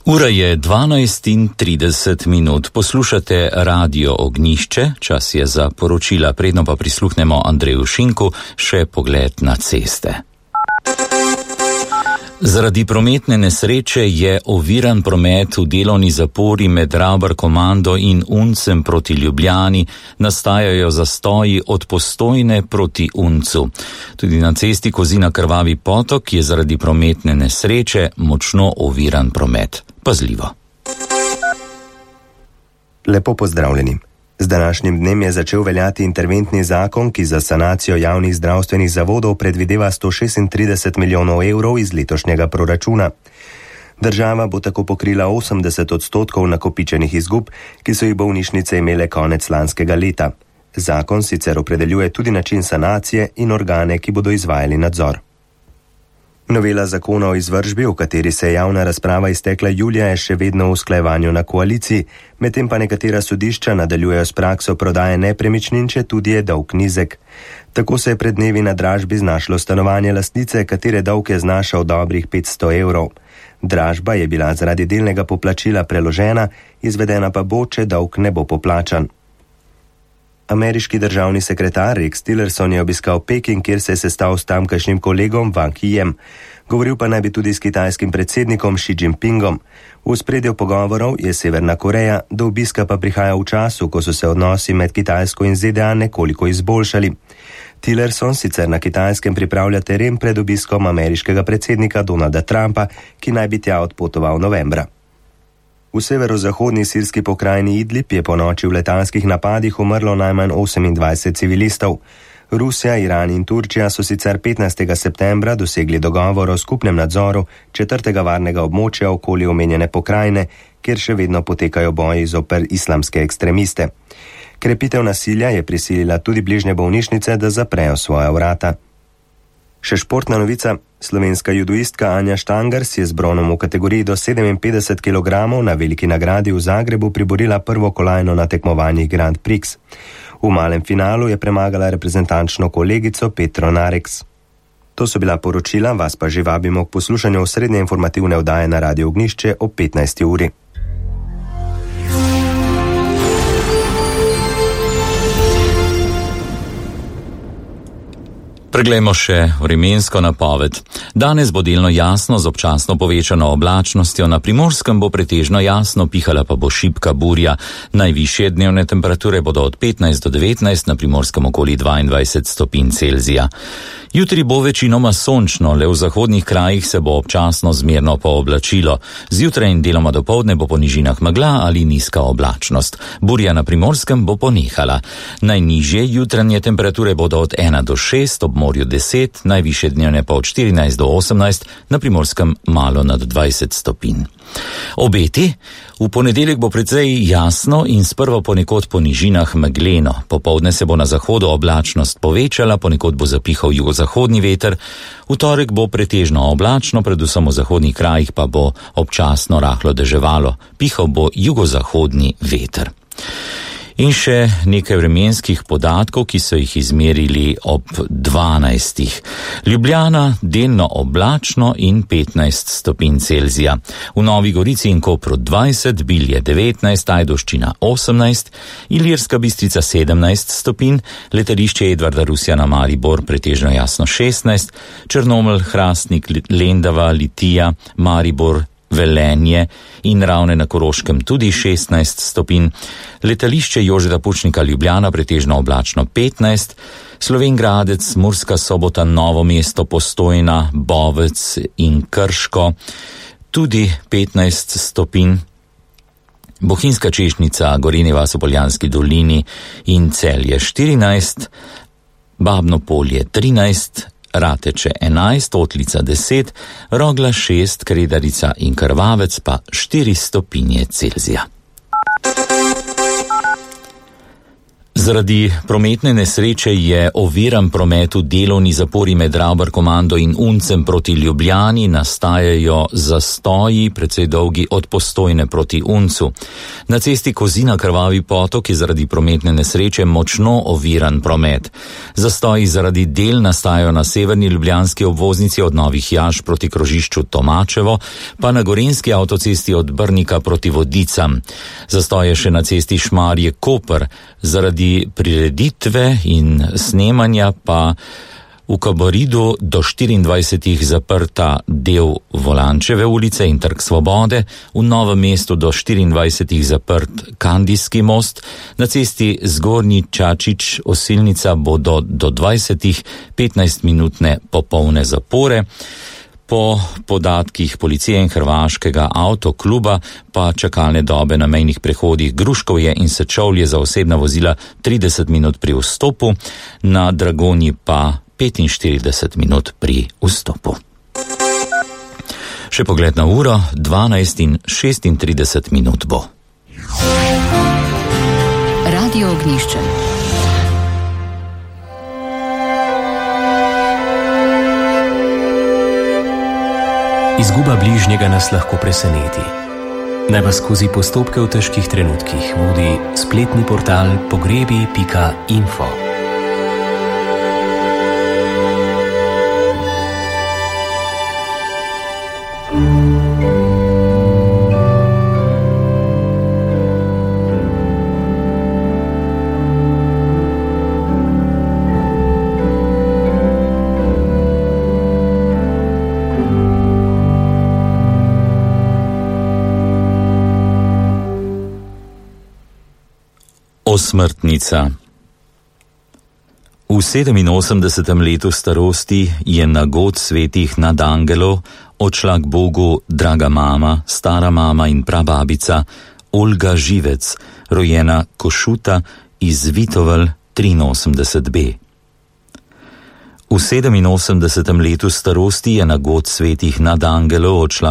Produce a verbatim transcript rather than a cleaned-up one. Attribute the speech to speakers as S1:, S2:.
S1: Ura je dvanajst in trideset minut. Poslušate Radio Ognjišče, čas je za poročila, predno pa prisluhnemo Andreju Šinku, še pogled na ceste. Zaradi prometne nesreče je oviran promet v delovni zapori med Ravbar komando in Uncem proti Ljubljani, nastajajo zastoji od Postojne proti Uncu. Tudi na cesti Kozina Krvavi potok je zaradi prometne nesreče močno oviran promet. Pazljivo.
S2: Lepo pozdravljeni. Z današnjim dnem je začel veljati interventni zakon, ki za sanacijo javnih zdravstvenih zavodov predvideva sto šestintrideset milijonov evrov iz letošnjega proračuna. Država bo tako pokrila osemdeset odstotkov nakopičenih izgub, ki so jih bolnišnice imele konec lanskega leta. Zakon sicer opredeljuje tudi način sanacije in organe, ki bodo izvajali nadzor. Novela zakona o izvršbi, v kateri se je javna razprava iztekla julija, je še vedno v usklajevanju na koaliciji, medtem pa nekatera sodišča nadaljujejo s prakso prodaje nepremičnin, če tudi je dolg nizek. Tako se je pred dnevi na dražbi znašlo stanovanje lastnice, katere dolg je znašal dobrih petsto evrov. Dražba je bila zaradi delnega poplačila preložena, izvedena pa bo, če dolg ne bo poplačan. Ameriški državni sekretar Rex Tillerson je obiskal Peking, kjer se je sestal s tamkajšnjim kolegom Wang Yijem. Govoril pa naj bi tudi s kitajskim predsednikom Xi Jinpingom. V ospredju pogovorov je Severna Koreja, do obiska pa prihaja v času, ko so se odnosi med Kitajsko in Z D A nekoliko izboljšali. Tillerson sicer na Kitajskem pripravlja teren pred obiskom ameriškega predsednika Donalda Trumpa, ki naj bi tja odpotoval novembra. V severozahodni sirski pokrajini Idlib je po noči v letalskih napadih umrlo najmanj osemindvajset civilistov. Rusija, Iran in Turčija so sicer petnajstega septembra dosegli dogovor o skupnem nadzoru četrtega varnega območja okoli omenjene pokrajine, kjer še vedno potekajo boji zoper islamske ekstremiste. Krepitev nasilja je prisilila tudi bližnje bolnišnice, da zaprejo svoja vrata. Še športna novica. Slovenska judoistka Anja Štangar si je z bronom v kategoriji do sedeminpetdeset kilogramov na veliki nagradi v Zagrebu priborila prvo kolajno na tekmovanjih Grand Prix. V malem finalu je premagala reprezentančno kolegico Petro Nareks. To so bila poročila, vas pa že vabimo k poslušanju osrednje informativne oddaje na Radio Ognjišče ob petnajsti uri.
S1: Preglejmo še vremensko napoved. Danes bo delno jasno z občasno povečano oblačnostjo, na Primorskem bo pretežno jasno, pihala pa bo šibka burja. Najvišje dnevne temperature bodo od petnajst do devetnajst, na Primorskem okoli dvaindvajset stopinj Celzija. Jutri bo večinoma sončno, le v zahodnih krajih se bo občasno zmerno pooblačilo. Zjutraj in deloma dopoldne bo po nižinah megla ali nizka oblačnost. Burja na Primorskem bo ponehala. Najnižje jutranje temperature bodo od ena do šest, ob morju deset, najvišje dnevne pa od štirinajst do osemnajst, na Primorskem malo nad dvajset stopinj. Obeti? V ponedeljek bo precej jasno in sprva ponekod po nižinah megleno. Popoldne se bo na zahodu oblačnost povečala, ponekod bo zapihal jugozahodni veter. V torek bo pretežno oblačno, predvsem v zahodnih krajih pa bo občasno rahlo deževalo. Pihal bo jugozahodni veter. In še nekaj vremenskih podatkov, ki so jih izmerili ob dvanajstih. Ljubljana delno oblačno in petnajst stopinj Celzija. V Novi Gorici in Kopru dvajset, Bilje devetnajst, Ajdovščina osemnajst, Ilirska Bistrica sedemnajst stopinj, letališče Edvarda Rusjana Maribor pretežno jasno šestnajst, Črnomelj, Hrastnik, Lendava, Litija, Maribor, Velenje in Ravne na Koroškem tudi šestnajst stopinj, letališče Jožeta Pučnika Ljubljana pretežno oblačno petnajst, Slovenj Gradec, Murska Sobota, Novo mesto, Postojna, Bovec in Krško tudi petnajst stopinj, Bohinjska Češnjica, Gorenja vas v Poljanski dolini in Celje štirinajst, Babno Polje trinajst, Rateče enajst, Otlica deset, Rogla šest, Kredarica in Krvavec pa štiri stopinje Celzija. Zaradi prometne nesreče je oviran promet v delovni zapori med Rauber komando in Uncem proti Ljubljani, nastajajo zastoji, precej dolgi od Postojne proti Uncu. Na cesti Kozina Krvavi potok je zaradi prometne nesreče močno oviran promet. Zastoji zaradi del nastajajo na severni ljubljanski obvoznici od Novih Jaš proti krožišču Tomačevo, pa na gorenjski avtocesti od Brnika proti Vodicam. Zastoje še na cesti Šmarje-Koper, zaradi prireditve in snemanja pa v Kaboridu do štiriindvajsetih zaprta del Volančeve ulice in Trg Svobode, v Novem mestu do štiriindvajsetih zaprt Kandijski most, na cesti Zgornji Čačič Osilnica bodo do dvajsetih petnajstminutne popolne zapore. Po podatkih policije in hrvaškega avtokluba pa čakalne dobe na mejnih prehodih Gruškovje in Sečovlje za osebna vozila trideset minut pri vstopu, na Dragonji pa petinštirideset minut pri vstopu. Še pogled na uro, dvanajst in šestintrideset minut bo.
S3: Radio Ognjišče.
S4: Izguba bližnjega nas lahko preseneti. Naj vas skozi postopke v težkih trenutkih vodi spletni portal pogrebi pika info.
S1: Osmrtnica. V sedeminosemdesetem letu starosti je na god svetih nadangelov odšla k Bogu draga mama, stara mama in prababica Olga Živec, rojena Košuta iz Vitovel triinosemdeset B. V sedeminosemdesetem letu starosti je na god svetih nadangelov odšla